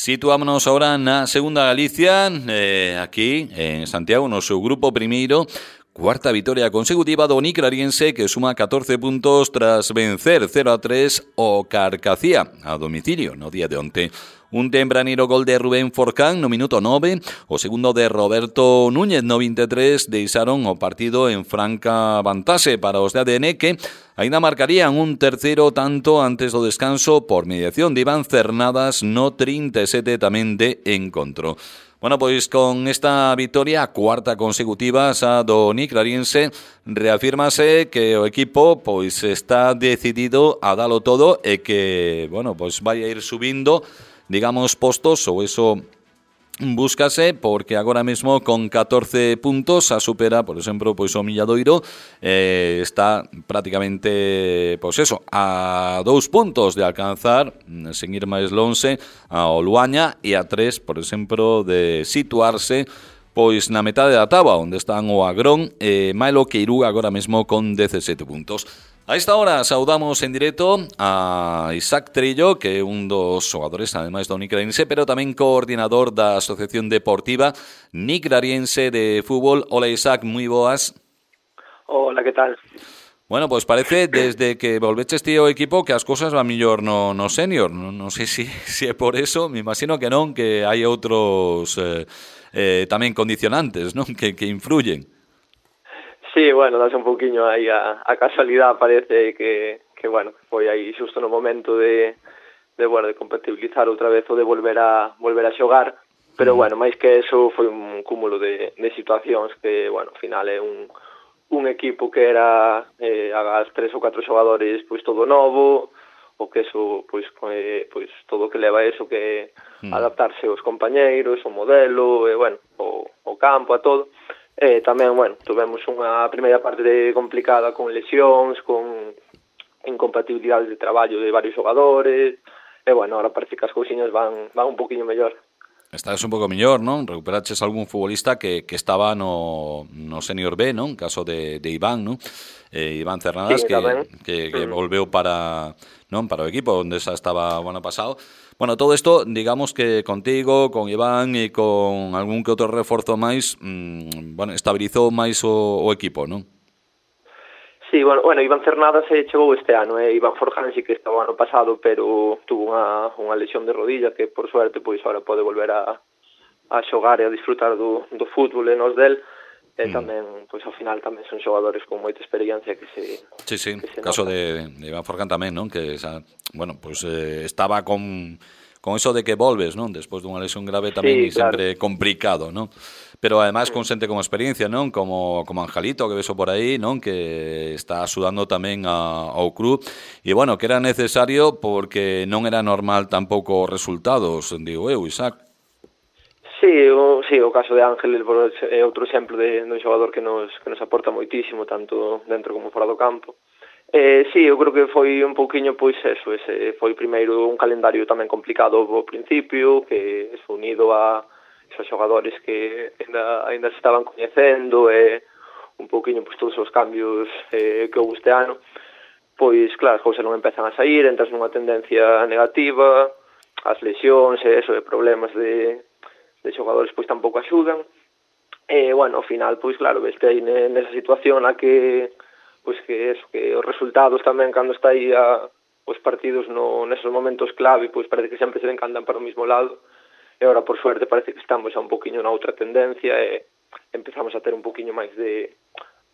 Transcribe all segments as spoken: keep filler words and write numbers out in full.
Situámonos ahora na segunda Galicia, eh, aquí en Santiago, no seu grupo primeiro. Cuarta vitoria consecutiva do Nicrariense, que suma catorce puntos tras vencer cero a tres o Carcacía a domicilio no día de onte. Un tempraneiro gol de Rubén Forcán no minuto nove, o segundo de Roberto Núñez no vinte e tres deixaron o partido en franca vantaxe para os de A D N, que ainda marcarían un terceiro tanto antes do descanso por mediación de Iván Cernadas no trinta e sete tamén de encontro. Bueno, pois con esta victoria, cuarta consecutiva xa do Nicrariense, reafírmase que o equipo pois está decidido a dalo todo e que, bueno, pois vai a ir subindo, digamos, postos, ou eso búscase, porque agora mesmo con catorce puntos a supera, por exemplo, pois o Milladoiro, eh, está prácticamente, pois eso, a dous puntos de alcanzar, sen ir máis lonxe, ao Luaña, e a tres, por exemplo, de situarse pois na metade da táboa, onde están o Agrón e Mailo Queiruga agora mesmo con dezasete puntos. A esta hora saudamos en directo a Isaac Trillo, que é un dos xogadores, ademais do Nicrariense, pero tamén coordinador da Asociación Deportiva Nicrariense de Fútbol. Hola Isaac, moi boas. Hola, que tal? Bueno, pois pues parece desde que volveches ti ao equipo que as cousas van millor no, no senior. Non no sei se si, si é por eso, me imagino que non, que hai outros eh, eh, tamén condicionantes, non, que, que influyen. Sí, bueno, das un pouquiño aí a, a casualidade, parece que, que, bueno, foi aí xusto no momento de, de, bueno, de compatibilizar outra vez o de volver a volver a xogar, pero, bueno, máis que eso foi un cúmulo de, de situacións que, bueno, ao final é un, un equipo que era eh, as tres ou catro xogadores, pois, todo novo, o que eso, pois, eh, pois todo o que leva eso, que mm. adaptarse aos compañeiros, o modelo, e, bueno, o, o campo, a todo. E tamén, bueno, tuvemos unha primeira parte de complicada con lesións, con incompatibilidades de traballo de varios xogadores, e, bueno, ahora parece que as cousiñas van, van un poquinho mellor. Estás un pouco mellor, non? Recuperaches algún futbolista que, que estaba no, no Senior B, non? Caso de, de Iván, non? Eh, Iván Cernadas, sí, que, que, que volveu para, non? Para o equipo onde xa estaba o ano pasado. Bueno, todo isto, digamos que contigo, con Iván e con algún que outro reforzo máis, mmm, bueno, estabilizou máis o, o equipo, non? Sí, bueno, bueno, Iván Cernadas se chegou este ano, eh? Iván Forján sí que estaba o ano pasado, pero tuvo unha, unha lesión de rodilla que, por suerte, pois agora pode volver a, a xogar e a disfrutar do, do fútbol e nos del. E mm. tamén, pois ao final tamén son xogadores con moita experiencia que se Sí, sí, que se caso nota. de, de Iván Forján tamén, non? Que, xa, bueno, pois eh, estaba con con eso de que volves, non? Despois dunha lesión grave tamén, sí, e sempre claro. complicado, non? Pero ademais con xente con experiencia, non? Como como Angelito, que veso por aí, non? Que está axudando tamén a, ao club. E, bueno, que era necesario porque non era normal tampouco os resultados, digo eu, Isaac. Sí, o, sí, o caso de Ángel é outro exemplo de, de un xogador que nos, que nos aporta moitísimo, tanto dentro como fora do campo. Eh, sí, eu creo que foi un pouquiño, pois eso, ese foi primeiro un calendario tamén complicado ao principio, que é unido a esos xogadores que ainda, ainda se estaban coñecendo, e un pouquiño, pois, todos os cambios eh, que houve este ano, pois, claro, as cousas non empezan a sair, entras nunha tendencia negativa, as lesións e eso, e problemas de de xogadores pois tampouco axudan, e, bueno, ao final, pois claro, veste aí nesa situación a que, pois que eso, que os resultados tamén cando está aí a, os partidos no, nesos momentos clave, pois parece que sempre se encantan para o mismo lado, e agora, por suerte, parece que estamos a un poquinho na outra tendencia, e empezamos a ter un poquinho máis de,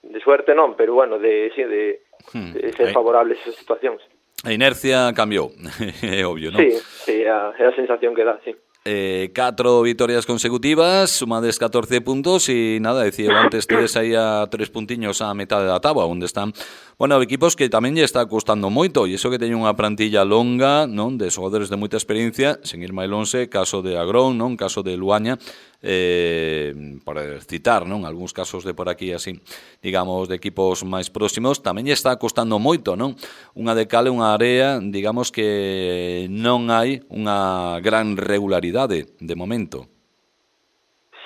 de suerte, non, pero, bueno, de, sí, de, de ser favorables esas situacións. A inercia cambiou, é obvio, non? Sí, sí, é a, é a sensación que dá, sí. Eh, catro vitorias consecutivas, sumades catorce puntos e nada, decía antes, tedes aí a tres puntiños a metade da táboa, onde están, bueno, equipos que tamén lle está custando moito, e iso que teñen unha plantilla longa, non, de xogadores de moita experiencia, sen ir máis lonxe, caso de Agrón, non, caso de Luaña, eh, por citar, non, algúns casos de por aquí así, digamos, de equipos máis próximos, tamén lle está costando moito, non? Unha de cal e unha area, digamos que non hai unha gran regularidade de momento.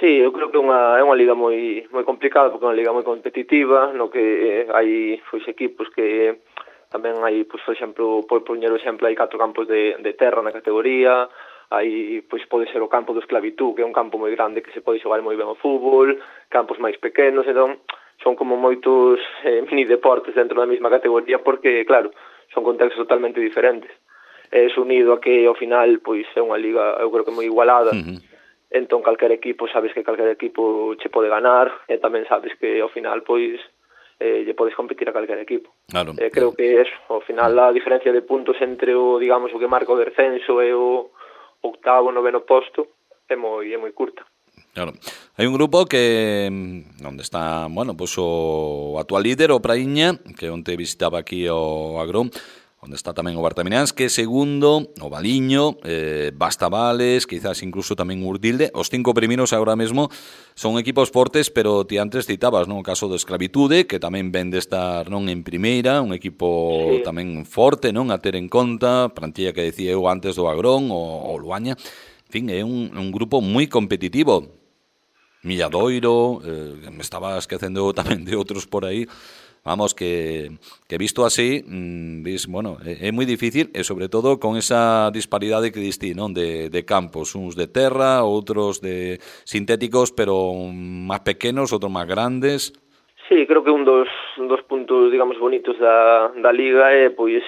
Sí, eu creo que é unha, é unha liga moi moi complicada, porque é unha liga moi competitiva, no que hai pois, equipos que tamén hai, pois, por exemplo, por poñer o exemplo, hai catro campos de, de terra na categoría, Aí pois pode ser o campo do Esclavitú, que é un campo moi grande que se pode xogar moi ben o fútbol, campos máis pequenos, entón son como moitos eh, mini deportes dentro da mesma categoría porque, claro, son contextos totalmente diferentes. É unido a que ao final pois é unha liga, eu creo que moi igualada. Uh-huh. Entón calquer equipo, sabes que calquer equipo che pode ganar e tamén sabes que ao final pois eh, lle podes competir a calquer equipo. Claro. Eh, creo que eso, ao final a diferencia de puntos entre o, digamos, o que marca o descenso e o octavo, noveno posto é moi é moi curta. Claro. Hai un grupo que onde está, bueno, pois o actual líder, o Praíña, que onte visitaba aquí o Agrón, onde está tamén o Bartamináns, que segundo, o Valiño, eh, Bastavales, quizás incluso tamén Urdilde. Os cinco primeiros agora mesmo son equipos fortes, pero ti antes citabas, non, o caso do Esclavitude, que tamén ven de estar non en primeira, un equipo sí. tamén forte, non, a ter en conta, plantilla que decía eu antes do Agrón o, o Luaña. En fin, é un, un grupo moi competitivo. Milladoiro, eh, me estaba esquecendo tamén de outros por aí. Vamos, que, que visto así, mmm, vis, bueno, é, é moi difícil e sobre todo con esa disparidade que distí, non, de, de campos, uns de terra, outros de sintéticos, pero máis pequenos, outros máis grandes. Sí, creo que un dos, un dos puntos, digamos, bonitos da, da Liga é, pois,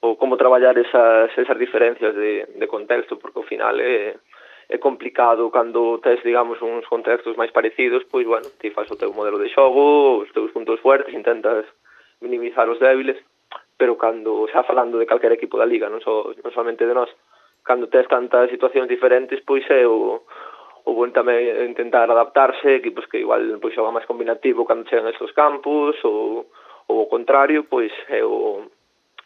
o como traballar esas, esas diferencias de, de contexto, porque ao final é... é complicado cando tes, digamos, uns contextos máis parecidos, pois, bueno, ti faz o teu modelo de xogo, os teus puntos fuertes, intentas minimizar os débiles, pero cando, xa falando de calquer equipo da Liga, non, so, non solamente de nós, cando tes tantas situacións diferentes, pois é o, o bon tamén intentar adaptarse, equipos que igual pois xogan máis combinativo cando chegan a estos campos, ou, ou o contrario, pois é o,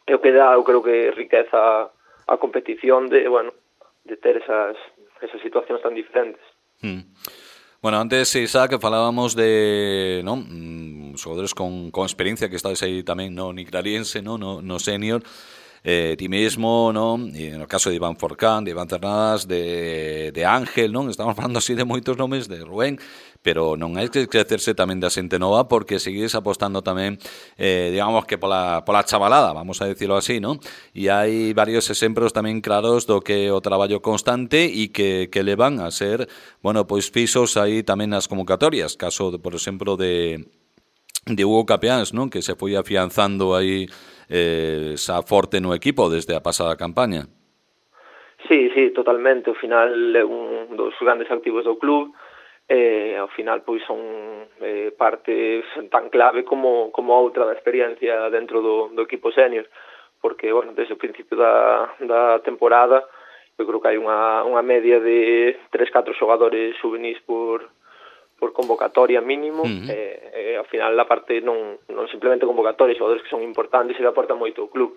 é o que dá, eu creo que riqueza a competición de, bueno, de ter esas esas situacións tan diferentes. Hmm. Bueno, antes, Isaac, falábamos de, ¿no?, xogadores con, con experiencia que estáis aí tamén no Nicrariense, no, no, no senior, eh, ti mesmo, ¿no?, e no caso de Iván Forcán, de Iván Cernadas, de, de Ángel, ¿no?, estamos falando así de moitos nomes, de Rubén, pero non hai que crecerse tamén da xente nova porque seguís apostando tamén, eh, digamos que pola, pola chavalada, vamos a decirlo así, ¿no? E hai varios exemplos tamén claros do que o traballo constante e que, que levan a ser, bueno, pois pisos aí tamén nas convocatorias, caso, de, por exemplo, de, de Hugo Capeáns, ¿no?, que se foi afianzando aí eh, esa forte no equipo desde a pasada campaña. Sí, sí, totalmente, ao final é un dos grandes activos do club, e ao final pois son eh, parte tan clave como, como outra da experiencia dentro do, do equipo senior, porque, bueno, desde o principio da, da temporada eu creo que hai unha, unha media de tres, catro xogadores juvenis por, por convocatoria mínimo, uh-huh. e, e ao final a parte non, non simplemente convocatoria, xogadores que son importantes e que aportan moito ao club,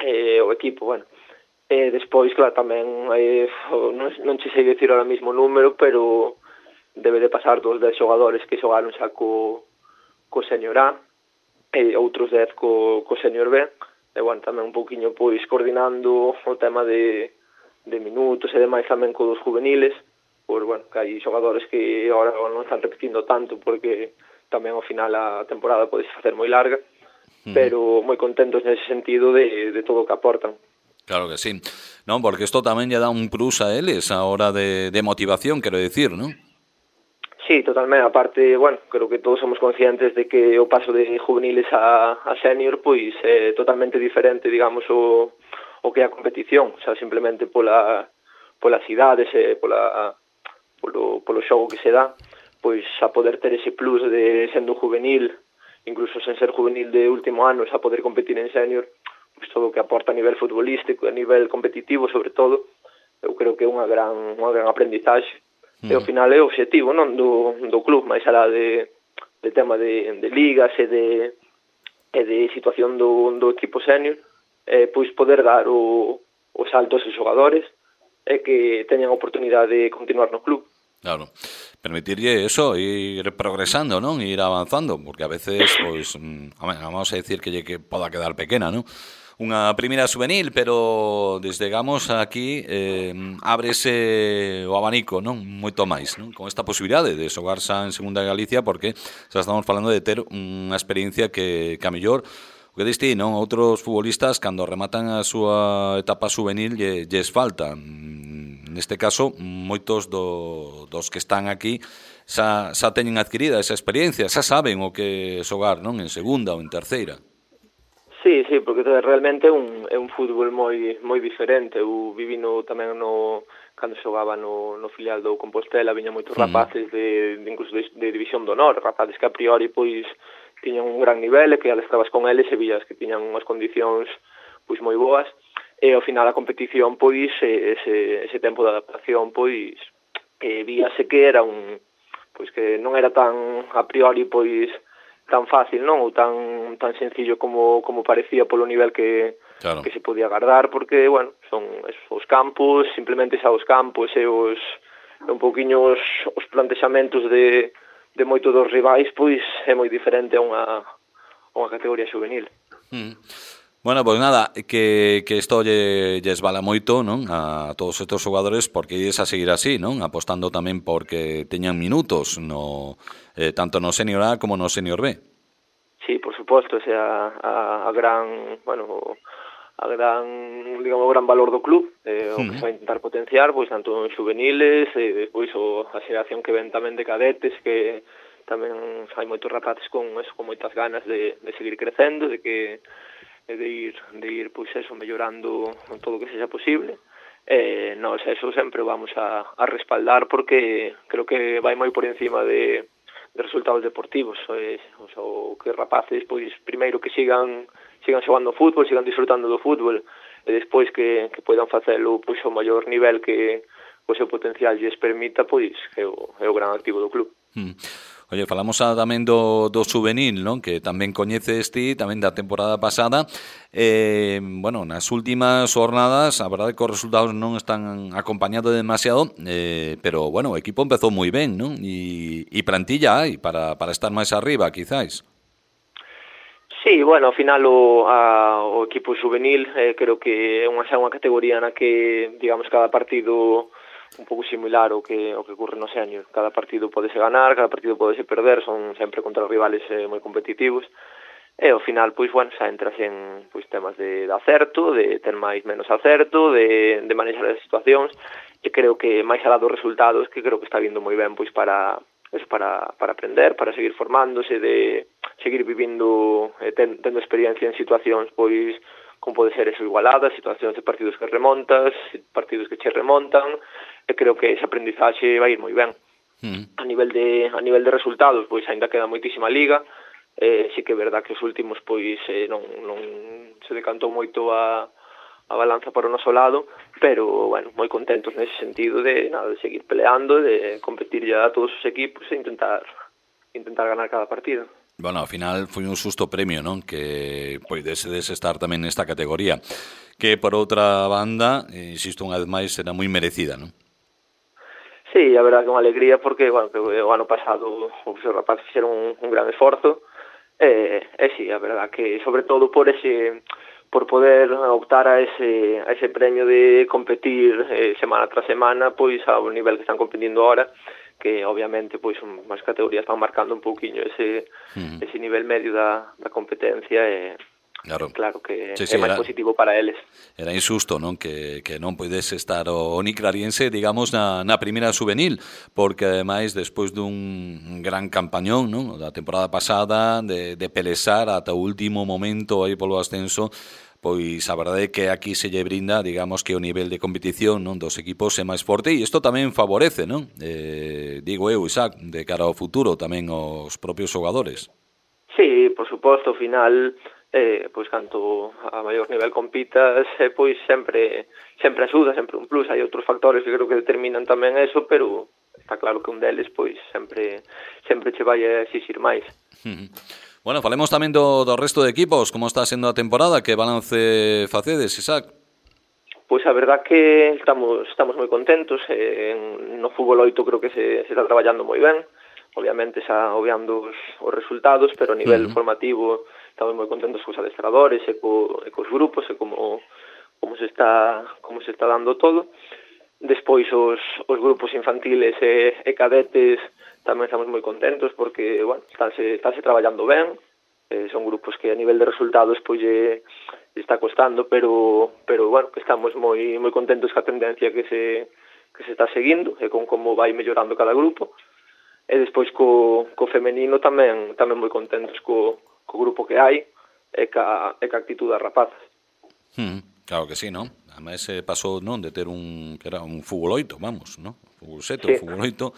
e, o equipo, bueno. E despois, claro, tamén eh, non, non che sei dicir ahora mismo o número, pero debe de pasar dos dez xogadores que xogaron xa co, co senior A e outros dez co, co senior B, e, bueno, tamén un pouquiño pois coordinando o tema de, de minutos e demais tamén co dos juveniles, por, bueno, que hai xogadores que agora non están repetindo tanto porque tamén ao final a temporada pode facer moi larga, mm. pero moi contentos nese sentido de, de todo o que aportan. Claro que sí, non, porque isto tamén lle dá un plus a eles a hora de, de motivación, quero decir, non? Sí, totalmente. Aparte, bueno, creo que todos somos conscientes de que o paso de juveniles a, a senior pois é totalmente diferente, digamos, o, o que é a competición, o sea, simplemente pola, polas idades e pola, polo, polo xogo que se dá, pois a poder ter ese plus de sendo juvenil, incluso sen ser juvenil de último ano, a poder competir en senior, pois todo o que aporta a nivel futbolístico, a nivel competitivo, sobre todo, eu creo que é unha gran, unha gran aprendizaxe. E ao final é o obxectivo, non, do, do club, máis alá de, de tema de, de ligas e de, e de situación do, do equipo senior, eh, pois poder dar o, o salto a esos xogadores e que teñan a oportunidade de continuar no club. Claro, permitirlle eso, ir progresando, non? Ir avanzando, porque a veces, pois, vamos a decir que lle que poda quedar pequena, non? Unha primeira juvenil, pero desdegamos aquí eh, ábrese o abanico, non, moito máis, non, con esta posibilidade de xogar xa en Segunda Galicia, porque xa estamos falando de ter unha experiencia que, que a mellor o que diste, non? Outros futbolistas, cando rematan a súa etapa juvenil, lle, lles falta. Neste caso, moitos do, dos que están aquí xa, xa teñen adquirida esa experiencia, xa saben o que xogar, non? En segunda ou en terceira. Sí, sí, porque realmente é un, é un fútbol moi moi diferente. Eu vivino tamén no cando xogaba no, no filial do Compostela, viña moitos rapaces de, de incluso de, de división de honor, rapaces que a priori pois tiñan un gran nivel e que estabas con eles e vías que tiñan unhas condicións pois moi boas. E ao final a competición, pois, ese, ese tempo de adaptación, pois, eh, víase que era un, pois que non era tan, a priori, pois, tan fácil, non? Ou tan tan sencillo como como parecía polo nivel que, claro, que se podía agardar, porque, bueno, son esos, os campos, simplemente xa os campos e os, un pouquiño os, os plantexamentos de, de moito dos rivais, pois, é moi diferente a unha, a unha categoría juvenil. Mm. Bueno, pois pues nada, que, que isto lle, lles vala moito, non? A todos estes xogadores, porque ides a seguir así, non? Apostando tamén porque teñan minutos, no eh, tanto no senior A como no senior B. Sí, por suposto, o sea, a, a gran, bueno, a gran, digamos, o gran valor do club, eh, o que se vai intentar potenciar, pois, tanto en juveniles, e depois o, a xeración que ven tamén de cadetes, que tamén hai moitos rapaces con, eso, con moitas ganas de, de seguir crecendo, de que de ir, de ir pois eso, mellorando todo o que sexa posible. Eh, nós eso sempre vamos a, a respaldar, porque creo que vai moi por encima de, de resultados deportivos. Eh, o, sea, o que rapaces, pois, primeiro que sigan sigan xogando fútbol, sigan disfrutando do fútbol, e despois que, que poidan facelo pois ao maior nivel que o seu potencial lles permita, pois é o, é o gran activo do club. Mm. Oye, falamos a, tamén do, do juvenil, non? Que tamén coñeces ti, tamén da temporada pasada. Eh, bueno, nas últimas jornadas, a verdade que os resultados non están acompañados demasiado, eh, pero, bueno, o equipo empezou moi ben, non? E, e plantilla hai para, para estar máis arriba, quizáis. Sí, bueno, ao final o, a, o equipo juvenil eh, creo que é unha, xa unha categoría na que, digamos, cada partido un pouco similar ao que, ao que ocurre no senior. Cada partido podese ganar, cada partido podese perder, son sempre contra rivales eh, moi competitivos, e ao final, pois, bueno, xa entras en pois, temas de, de acerto, de ter máis menos acerto, de, de manexar as situacións, e creo que máis alá dos resultados, que creo que está vindo moi ben pois para eso, para, para aprender, para seguir formándose, de seguir vivindo, eh, ten, tendo experiencia en situacións, pois, como pode ser eso, igualadas, situacións de partidos que remontas, partidos que che remontan, e creo que ese aprendizaxe vai ir moi ben. Mm. A nivel de a nivel de resultados, pois aínda queda moitísima liga, eh, sí que é verdad que os últimos pois eh, non, non se decantou moito a, a balanza para o noso lado, pero, bueno, moi contentos nese sentido de, nada, de seguir peleando, de competir ya a todos os equipos e intentar intentar ganar cada partido. Bueno, ao final foi un susto premio, non? Que poidesedes estar tamén nesta categoría, que por outra banda, insisto unha vez máis, será moi merecida, non? Sí, a verdade que unha alegría, porque, bueno, que o ano pasado os rapaces fixeron un, un gran esforzo, e, e sí, a verdade que sobre todo por ese por poder optar a ese a ese premio de competir eh, semana tras semana, pois ao nivel que están competindo ahora, que obviamente pois unhas categorías están marcando un pouquiño ese uh-huh. ese nivel medio da, da competencia, e claro, claro que sí, sí, é máis era, positivo para eles. Era injusto, non? Que, que non poidese estar o, o Niclariense, digamos, na, na primeira juvenil, porque ademais, despois dun gran campañón, non? Da temporada pasada, de, de pelesar ata o último momento aí polo ascenso, pois a verdade é que aquí se lle brinda, digamos, que o nivel de competición, non, dos equipos é máis forte, e isto tamén favorece, non? Eh, digo eu, Isaac, de cara ao futuro tamén aos propios xogadores. Sí, por suposto, ao final, eh, pois canto a maior nivel compitas, eh, pois sempre sempre axuda, sempre un plus. Hai outros factores que creo que determinan tamén eso, pero está claro que un deles pois sempre sempre che vai a exixir máis. Uh-huh. Bueno, falemos tamén do, do resto de equipos. Como está sendo a temporada? Que balance facedes, Isaac? Pois a verdad que estamos estamos moi contentos. Eh, no fútbol oito creo que se, se está traballando moi ben. Obviamente xa obviando os, os resultados, pero a nivel uh-huh. formativo estamos moi contentos cos adestradores e, co, e cos grupos e como, como, se está, como se está dando todo. Despois os, os grupos infantiles e, e cadetes tamén estamos moi contentos porque, bueno, estáse, estáse traballando ben, eh, son grupos que a nivel de resultados pois lle, lle está costando, pero pero bueno, que estamos moi moi contentos ca tendencia que se que se está seguindo e con como vai mellorando cada grupo. E despois co, co femenino tamén tamén moi contentos co, co grupo que hai e ca, e ca actitud das rapazas. Mm, claro que sí, non? Ademais eh, pasou, non, de ter un que era un fútbol oito, vamos, non? Fútbol sete, sí. O fútbol oito.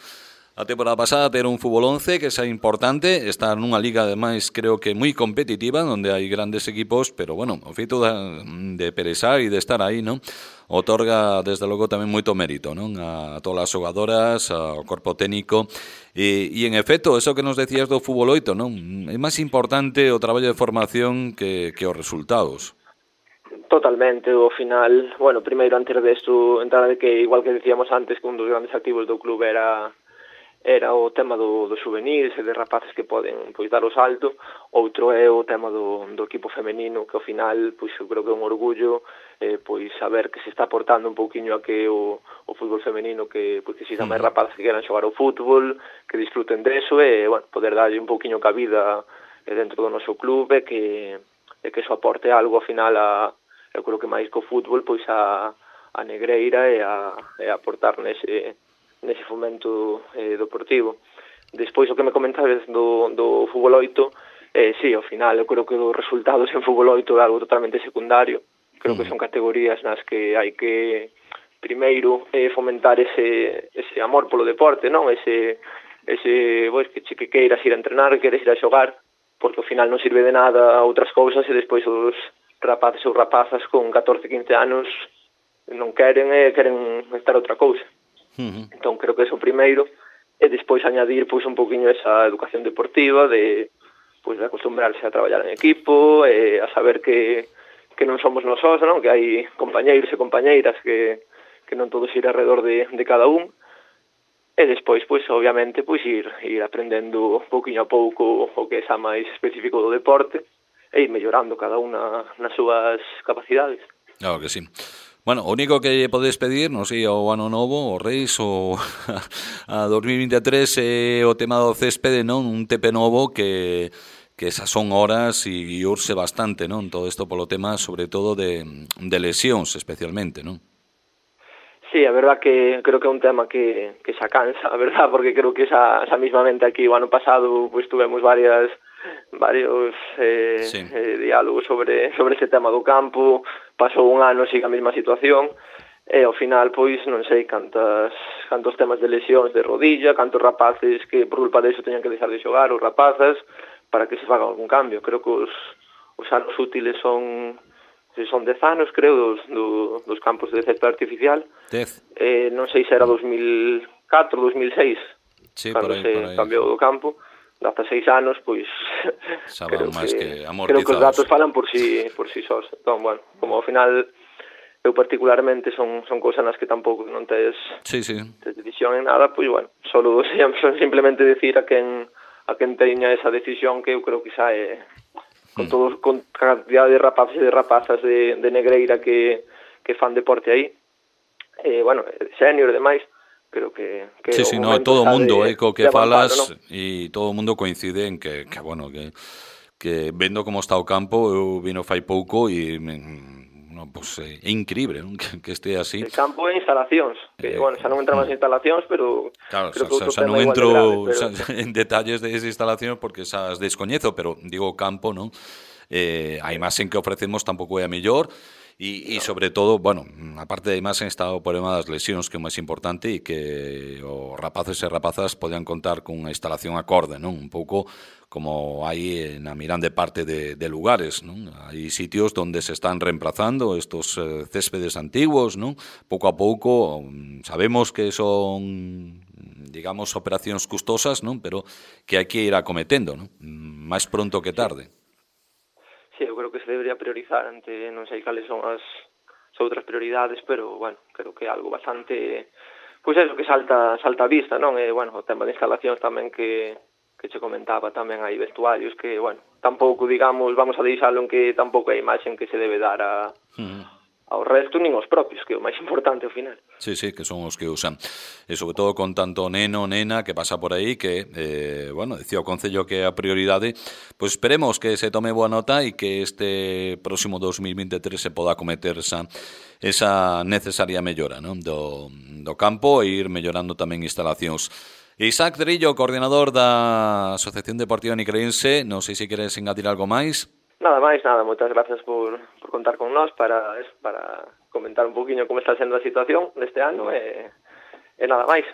A temporada pasada ter un fútbol once, que é importante, está nunha liga ademais creo que moi competitiva, onde hai grandes equipos, pero bueno, o feito de, de perezar e de estar aí, non? Otorga desde logo tamén moito mérito, non? A todas as xogadoras, ao corpo técnico e, e en efecto, eso que nos decías do fútbol oito, non? É máis importante o traballo de formación que, que os resultados. Totalmente, ao final, bueno, primeiro antes desto, entrada de que igual que decíamos antes que un dos grandes activos do club era era o tema do, do juvenis e de rapaces que poden pois dar o salto. Outro é o tema do, do equipo femenino, que ao final pois eu creo que é un orgullo eh, pois saber que se está aportando un pouquiño a que o, o fútbol femenino que pois que existan máis rapaces que queran xogar ao fútbol, que disfruten deso e bueno, poder darlle un pouquiño cabida eh, dentro do noso club e que, e que eso aporte algo ao final a, eu creo que máis co fútbol pois a, a negreira e a, e a aportar nese nese fomento eh, deportivo. Despois o que me comentabas do, do fútbol oito, eh, sí, ao final eu creo que os resultados en fútbol oito é algo totalmente secundario. Creo que son categorías nas que hai que primeiro eh, fomentar ese, ese amor polo deporte, non? Ese, ese pois, que, que queiras ir a entrenar, que queiras ir a xogar, porque ao final non sirve de nada outras cousas e despois os rapaces ou rapazas con catorce, quince anos non queren e queren estar outra cousa. Uh-huh. Entón creo que é o primeiro e despois añadir pois un poquinho esa educación deportiva de pois de acostumbrarse a traballar en equipo e a saber que, que non somos nosós, non? Que hai compañeiros e compañeiras que, que non todos ir alrededor de, de cada un e despois pois obviamente pois ir, ir aprendendo pouquinho a pouco o que é xa máis específico do deporte e ir mellorando cada unha nas súas capacidades. Claro que sí. Bueno, o único que podes pedir, non sei, ao ano novo, o Reis, ou a dos mil vinte e tres, é o tema do céspede, non? Un tepe novo que, que esas son horas e urse bastante, non? Todo isto polo tema, sobre todo, de, de lesións, especialmente, non? Sí, a verdad que creo que é un tema que, que xa cansa, a verdad, porque creo que xa, xa mismamente aquí o ano pasado pues, tuvemos varias varios eh, sí. eh, diálogos sobre sobre ese tema do campo, pasou un ano siga a mesma situación e ao final pois non sei cantas cantos temas de lesións de rodilla, cantos rapaces que por culpa deso teñan que deixar de xogar os rapazas para que se faga algún cambio. Creo que os, os anos útiles son son dez anos, creo, dos, do, dos campos de césped artificial. dez. Eh, non sei se era dos mil catro, dos mil seis, sí, cando por aí, se por aí, cambiou sí. do campo. Hasta seis anos, pois creo máis que, que creo que os datos falan por si por si sós. Entón, bueno, como ao final eu particularmente son son cousas nas que tampouco non tes sí, sí. tes decisión en nada, pois bueno, solo simplemente decir a quen a quen teña esa decisión que eu creo que xa é con todos con cantidad de rapaces e de rapazas de, de negreira que que fan deporte aí. Eh, bueno, senior e demais. Creo que, que sí, sí, no, todo o mundo, eh, co que avanzar, falas, ¿no? E todo o mundo coincide en que, que bueno, que, que vendo como está o campo, eu vino fai pouco e no, pues, é increíble, non? Que, que este así. El campo é instalacións, que, eh, bueno, xa non entramos en instalacións, pero claro, creo xa, que xa non tema entro grave, pero... xa, en detalles de esas instalacións porque xa as descoñezo, pero digo o campo, non? Eh, a imaxen que ofrecemos tampouco é a mellor. E, e sobre todo, bueno, aparte de imaxen está o problema das lesións que é máis importante e que os rapaces e rapazas poden contar con unha instalación acorde, non? Un pouco como hai na mirande parte de, de lugares, non? Hai sitios onde se están reemplazando estos eh, céspedes antiguos, non? Pouco a pouco sabemos que son, digamos, operacións custosas, non? Pero que hai que ir acometendo, non? Máis pronto que tarde. Sí, eu creo que se debería priorizar ante, non sei cales son as, as outras prioridades, pero, bueno, creo que é algo bastante, pois é, que salta salta a vista, non? E, bueno, o tema de instalacións tamén que, que che comentaba, tamén hai vestuarios que, bueno, tampouco, digamos, vamos a deixalo en que tampouco hai imaxen que se debe dar a, uh-huh. ao resto nin os propios, que é o máis importante ao final. Sí, sí, que son os que usan. E sobre todo con tanto neno, nena que pasa por aí que, eh, bueno, decía o Concello que é a prioridade, pois esperemos que se tome boa nota e que este próximo dos mil veintitrés se poda cometer esa, esa necesaria mellora, non? Do, do campo e ir mellorando tamén instalacións. Isaac Trillo, coordinador da Asociación Deportiva Nicraense, non sei se queres engadir algo máis. Nada máis, nada, moitas gracias por, por contar con nós para, para comentar un poquinho como está sendo a situación deste ano e, e nada máis.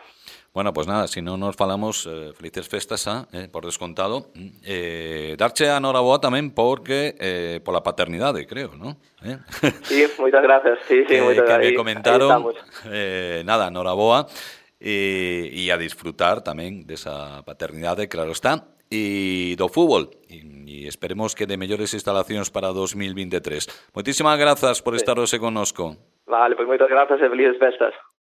Bueno, pues nada, si non nos falamos, eh, felices festas, ah, eh, por descontado. Eh, darche a noraboa tamén porque eh, pola paternidade, creo, ¿no? Eh? Sí, moitas gracias, sí, sí, que, moitas que gracias. me comentaron, eh, nada, noraboa, e, e a disfrutar tamén desa paternidade, claro está, e do fútbol, e, e esperemos que de mellores instalacións para dos mil veintitrés. Moitísimas grazas por estar hoxe connosco. Vale, pois moitas grazas e felices festas.